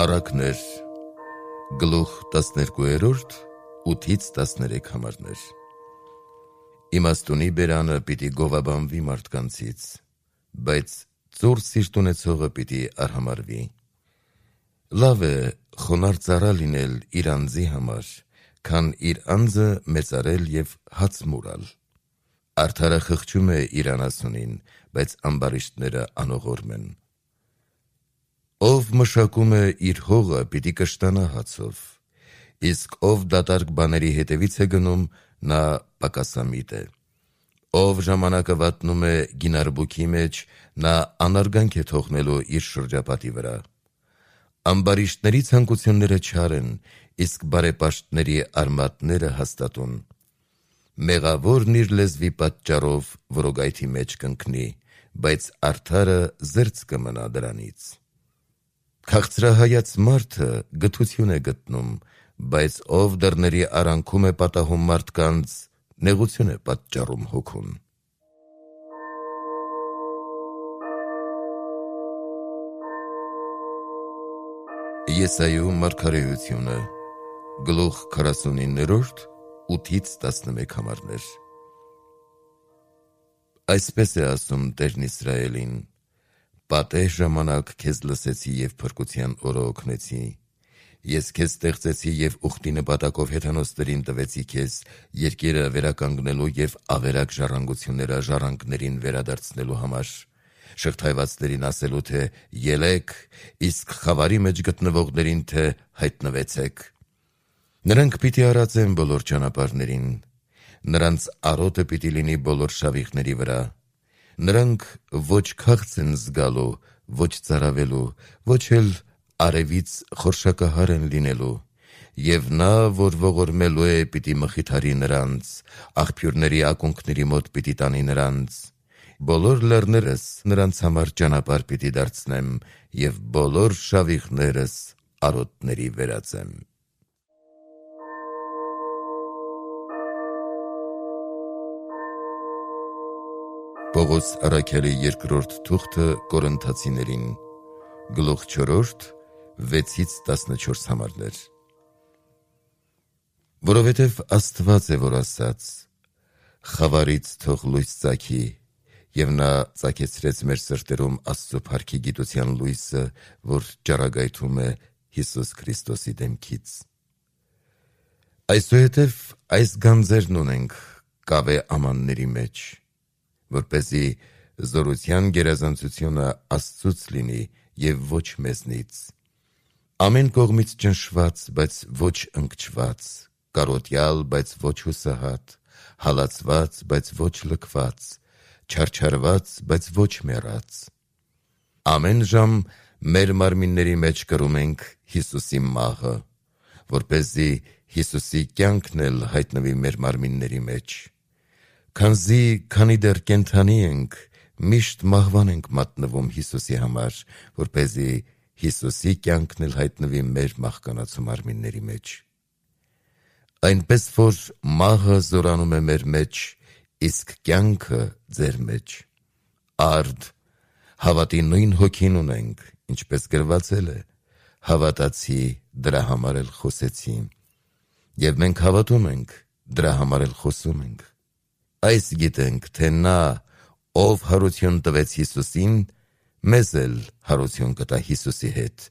Առակներ, գլուխ 12, 8-13 համարներ։ Իմաստունի բերանը պիտի գովաբանվի մարդկանցից, բայց ծուռ սիրտ ունեցողը պիտի արհամարվի։ Լավ է խոնարհ ծառա լինել իր անձի համար, քան իր անձը մեծարել և հաց մուրալ։ Արդարը խղճում է իր անասունին, բայց ամբարիշտները անողորմ են։ Ով մշակում է իր հողը, պիտի կշտանա հացով, իսկ ով դատարկ բաների հետևից է գնում, նա պակասամիտ է։ Ով ժամանակը վատնում է գինարբուքի մեջ, նա անարգանք է թողնելու իր շրջապատի վրա։ Ամբարիշտների ցանկությունները չար են, իսկ բարեպաշտների արմատները հաստատուն։ Մեղավորն իր լեզվի պատճառով որոգայթի մեջ կընկնի, բայց արդարը զերծ կմնա դրանից։ Քաղցրահայաց մարդը գթություն է գտնում, բայց ով դռների արանքում է պատահում մարդկանց, նեղություն է պատճառում հոգուն։ Եսայու մարգարեությունը, գլուխ 49, 8-11 համարներ։ Այսպես է ասում Տերն Իսրայելին. պատեհ ժամանակ քեզ լսեցի և փրկության օրը օգնեցի։ Ես քեզ ստեղծեցի և ուխտի նպատակով հեթանոսներին տվեցի քեզ, երկիրը վերականգնելու և ավերակ ժառանգությունները ժառանգներին վերադարձնելու համար, շղթայվածներին ասելու, թե ելեք, իսկ խավարի մեջ գտնվողներին, թե հայտնվեցեք։ Նրանք պիտի արածեն բոլոր ճանապարհներին, նրանց արոտը պիտի լինի բոլոր շավիղների վրա։ Նրանք ոչ քաղց են զգալու, ոչ ծարավելու, ոչ էլ արևից խորշակահար են լինելու, և նա, որ ողորմելու է, պիտի մխիթարի նրանց, աղբյուրների ակունքների մոտ պիտի տանի նրանց։ Բոլոր լեռներս նրանց համար ճանապարհ պիտի դարձնեմ և բոլոր շավիղներս արոտների վերածեմ։ Պողոս առաքյալի երկրորդ թուղթը Կորինթացիներին, գլուխ 4, 6-14 համարներ։ Որովհետև Աստված է, որ ասաց. խավարից թող լույս ծագի, և նա ծագեցրեց մեր սրտերում Աստծո փառքի գիտության լույսը, որ ճառագայթում է Հիսուս Քրիստոսի դեմքից։ Այսուհետև այս գանձերն ունենք կավե ամանների մեջ, որպեսզի զորության գերազանցությունը Աստծուց լինի և ոչ մեզնից։ Ամեն կողմից ճնշված, բայց ոչ ընկճված, կարոտյալ, բայց ոչ հուսահատ, հալածված, բայց ոչ լքված, չարչարված, բայց ոչ մեռած։ Ամեն ժամ մեր մարմինների մեջ կրում ենք Հիսուսի մահը, որպեսզի Հիսուսի կյանքն էլ հայտնվի մեր մարմինների մեջ։ Քանի դեռ կենդանի ենք, միշտ մահվան ենք մատնվում Հիսուսի համար, որպեսզի Հիսուսի կյանքն էլ հայտնվի մեր մահկանացու մարմինների մեջ։ Այնպես որ մահը զորանում է մեր մեջ, իսկ կյանքը ձեր մեջ։ Արդ, հավատի նույն հոգին ունենք, ինչպես գրվածել է. հավատացի, դրա համար էլ խոսեցի, և մենք հավատում ենք, դրա համար էլ խոսում ենք։ Այս գիտենք, թե նա, ով հարություն տվեց Հիսուսին, մեզ էլ հարություն կտա Հիսուսի հետ,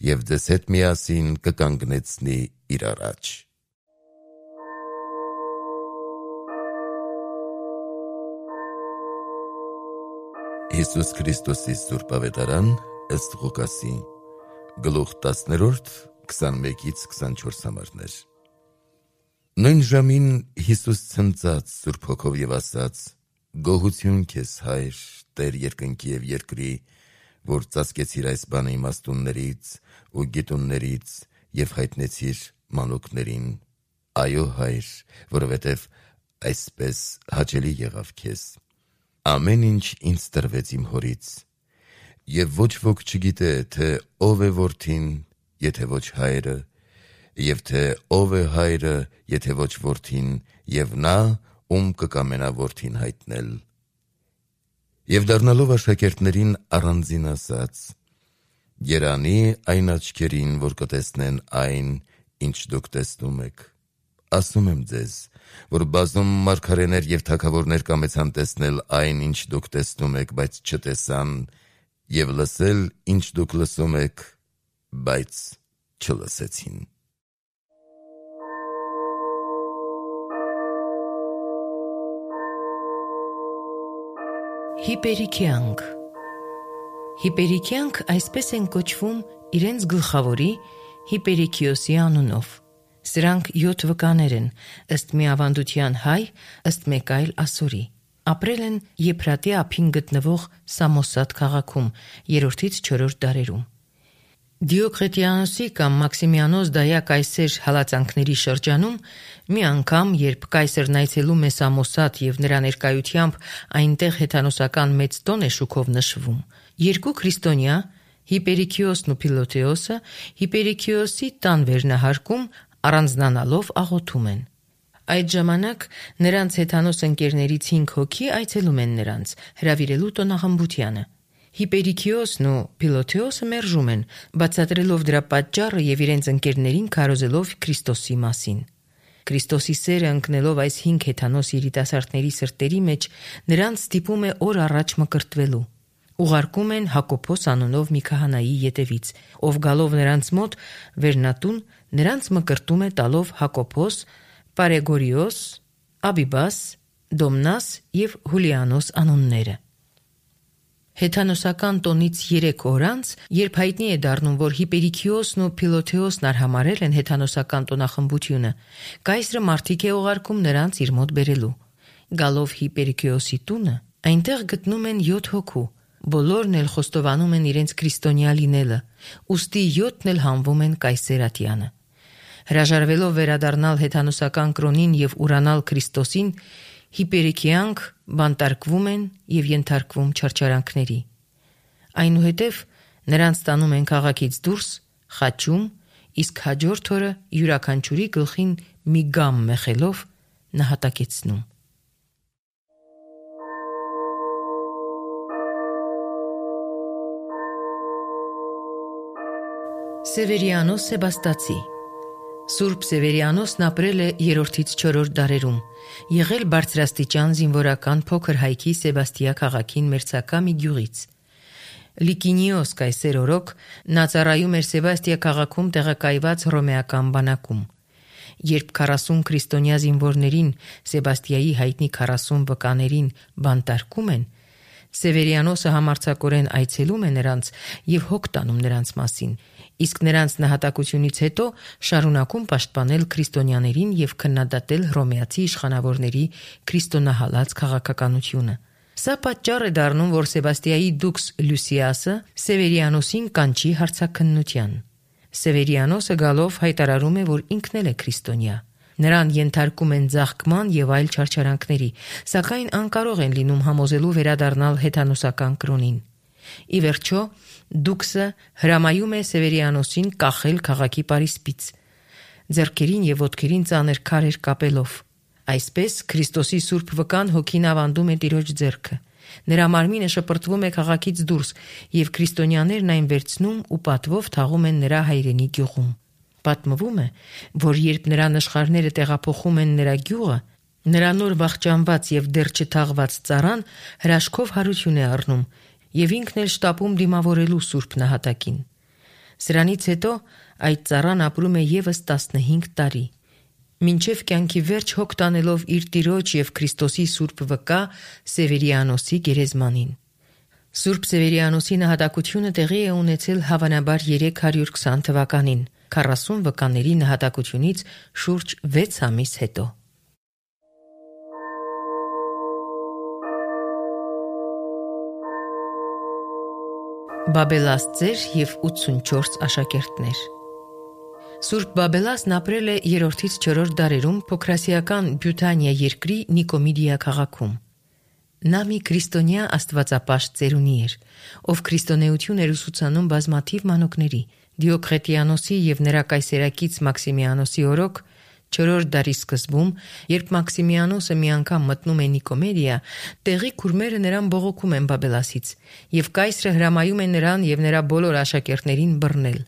և ձեզ հետ միասին կկանգնեցնի իր առաջ։ Հիսուս Քրիստոսի Սուրբ Ավետարան ըստ Ղուկասի, գլուխ 10, 21-24 համարներ։ Նույն ժամին Հիսուս ցնծաց Սուրբ Հոգով և ասաց. «Գոհություն քեզ, Հայր, Տեր երկնքի և երկրի, որ ծածկեցիր այս բանը իմաստուններից ու գիտուններից և հայտնեցիր մանուկներին։ Այո, Հայր, որովհետև այսպես հաճելի եղավ քեզ։ Ամեն ինչ ինձ տրվեց իմ Հորից, և ոչ ոք չգիտե, թե ով է Որդին, եթե ոչ Հայրը, և թե ով է Հայրը, եթե ոչ Որդին, և նա, ում կկամենա Որդին հայտնել»։ Եվ դառնալով աշակերտներին առանձին ասաց. Երանի այն աչքերին, որ կտեսնեն այն, ինչ դուք տեսնում եք։ Ասում եմ ձեզ, որ բազում մարգարեներ և թագավորներ կամեցան տեսնել այն, ինչ դուք տեսնում եք, բայց չտեսան, և լսել, ինչ դուք լսում եք, բայց չլսեցին։ Հիպերիքյանք Հիպերիքյանք այսպես են կոչվում իրենց գլխավորի Հիպերիքիոսի անունով։ Սրանք 7 վկաներ են, ըստ մի ավանդության հայ, ըստ մեկ այլ ասորի։ Ապրել են Եփրատի ափին գտնվող Սամոսատ քաղաքում 3-ից 4-րդ դարերում։ Դիոկլետիանոսի կամ Մաքսիմիանոս Դայա կայսեր հալածանքների շրջանում մի անգամ, երբ կայսերն այցելում է Սամոսատ և նրա ներկայությամբ այնտեղ հեթանոսական մեծ տոն է շուքով նշվում, երկու քրիստոնյա, Հիպերիքիոսն ու Փիլոթեոսը, Հիպերիքիոսի տան վերնահարկում առանձնանալով աղոթում են։ Այդ ժամանակ նրանց հեթանոս ընկերներից 5 հոգի այցելում են նրանց, հրավիրելու տոնախմբությանը։ Հիպերիքիոսն ու Փիլոթեոսը մերժում են, բացատրելով դրա պատճառը և իրենց ընկերներին քարոզելով Քրիստոսի մասին։ Քրիստոսի սերը ընկնելով այս 5 հեթանոս երիտասարդների սրտերի մեջ, նրանց ստիպում է օր առաջ մկրտվելու։ Ուղարկում են Հակոբոս անունով մի քահանայի ետևից, ով գալով նրանց մոտ վերնատուն, նրանց մկրտում է տալով Հակոբոս, Պարեգորիոս, Աբիբաս, Դոմնաս և Հուլիանոս անունները։ Հեթանոսական տոնից 3 օր անց, երբ հայտնի է դառնում, որ Հիպերիքիոսն ու Փիլոթեոսն արհամարհել են հեթանոսական տոնախմբությունը, կայսրը մարդիկ է ուղարկում նրանց իր մոտ բերելու։ Գալով Հիպերիքիոսի տունը, այնտեղ գտնում են 7 հոգու, բոլորն էլ խոստովանում են իրենց քրիստոնյա լինելը, ուստի 7-ն էլ հանվում են կայսեր ատյանը։ Հրաժարվելով վերադառնալ հեթանոսական կրոնին և ուրանալ Քրիստոսին, Հիպերիքյանք բանտարկվում են և ենթարկվում չարչարանքների։ Այնուհետև նրանց տանում են քաղաքից դուրս, խաչում, իսկ հաջորդ օրը յուրաքանչյուրի գլխին մի գամ մեխելով նահատակեցնում։ Սևերիանոս Սեբաստացի Սուրբ Սևերիանոսն ապրել է 3-ից 4-րդ դարերում, եղել բարձրաստիճան զինվորական փոքր հայքի Սեբաստիա քաղաքին մերձակա մի գյուղից։ Լիկինիոս կայսեր օրոք նա ծառայում էր Սեբաստիա քաղաքում տեղակայված հռոմեական բանակում։ Երբ 40 քրիստոնյա զինվորներին Սեբաստիայի հայտնի 40 վկաներին բանտարկում են, Սևերիանոսը համարձակորեն այցելում է նրանց և հոգ տանում նրանց մասին, իսկ նրանց նահատակությունից հետո շարունակում պաշտպանել քրիստոնյաներին և քննադատել հռոմեացի իշխանավորների քրիստոնահալած քաղաքականությունը։ Սա պատճառ է դառնում, որ Սեբաստիայի դուքս Լյուսիասը Սևերիանոսին կանչի հարցաքննության։ Սևերիանոսը գալով հայտարարում է, որ ինքն էլ է քրիստոնյա։ Նրան ենթարկում են ձաղկման և այլ չարչարանքների, սակայն անկարող են լինում համոզելու վերադառնալ հեթանոսական կրոնին։ Ի վերջո, դուքսը հրամայում է Սևերիանոսին կախել քաղաքի պարիսպից, ձեռքերին և ոտքերին ծանր քարեր կապելով։ Այսպես Քրիստոսի սուրբ վկան հոգին ավանդում է տիրոջ ձեռքը։ Նրա մարմինը շպրտվում է քաղաքից դուրս, և քրիստոնյաներն այն վերցնում ու պատվով թաղում են նրա հայրենի գյուղում։ Պատմվում է, որ երբ նրա նշխարները տեղափոխում են նրա գյուղը, նրա նոր վախճանված և դեռ չթաղված ծառան հրաշքով հարություն է առնում և ինքն էլ շտապում դիմավորելու սուրբ նահատակին։ Սրանից հետո այդ ծառան ապրում է ևս 15 տարի, մինչև կյանքի վերջ հոգ տանելով իր տիրոջ և Քրիստոսի սուրբ վկա Սևերիանոսի գերեզմանին։ Սուրբ Սևերիանոսի նահատակությունը տեղի է ունեցել հավանաբար 320 թվականին, 40 վկաների նահատակությունից շուրջ 6 ամիս հետո։ Բաբելաստեր և 84 աշակերտներ Սուրբ Բաբելասն ապրել է 3-ից 4-րդ դարերում փոքրասիական Բյութանիա երկրի Նիկոմիդիա քաղաքում։ Նա մի քրիստոնյա աստվածապաշտ ծերունի էր, ով քրիստոնեություն էր ուսուցանում բազմաթիվ մանուկների։ Դիոկլետիանոսի և նրա կայսերակից Մաքսիմիանոսի օրոք 4-րդ դարի սկզբում, երբ Մաքսիմիանոսը մի անգամ մտնում է Նիկոմեդիա, տեղի քուրմերը նրան բողոքում են Բաբելասից, եւ կայսրը հրամայում է նրան եւ նրա բոլոր աշակերտներին բռնել։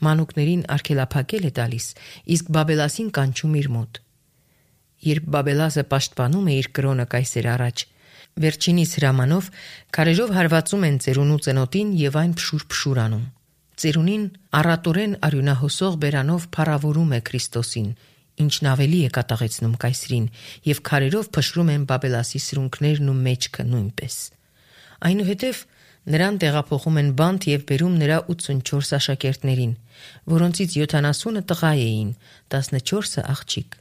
Մանուկներին արգելափակել է տալիս, իսկ Բաբելասին կանչում իր մոտ։ Երբ Բաբելասը պաշտպանում է իր կրոնը կայսեր առաջ, վերջինիս հրամանով քարերով հարվածում են ծերունու ծնոտին եւ այն փշուր անում։ Ծերունին առատորեն արյունահոսող բերանով փառավորում է Քրիստոսին, ինչն ավելի է կատաղեցնում կայսրին, եւ քարերով փշրում են Բաբելասի սրունքներն ու մեջքը նույնպես։ Այնուհետև նրան տեղափոխում են բանտ եւ բերում նրա 84 աշակերտներին, որոնցից 70-ը տղա էին, 14-ը աղջիկ։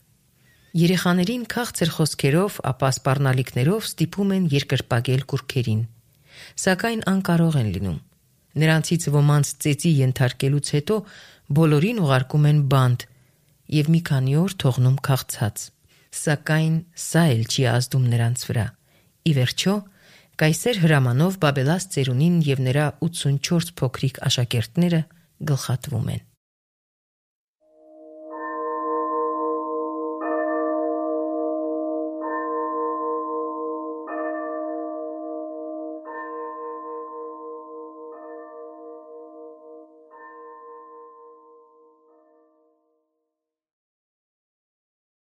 Երեխաներին քաղցր խոսքերով, ապա սպառնալիքներով ստիպում են երկրպագել կուռքերին, սակայն անկարող են լինում։ Նրանցից ոմանց ծեծի ենթարկելուց հետո բոլորին ուղարկում են բանտ եւ մի քանի օր թողնում քաղցած, սակայն սա էլ չի ազդում նրանց վրա։ Ի վերջո, կայսեր հրամանով Բաբելաս ծերունին եւ նրա 84 փոքրիկ աշակերտները գլխատվում են։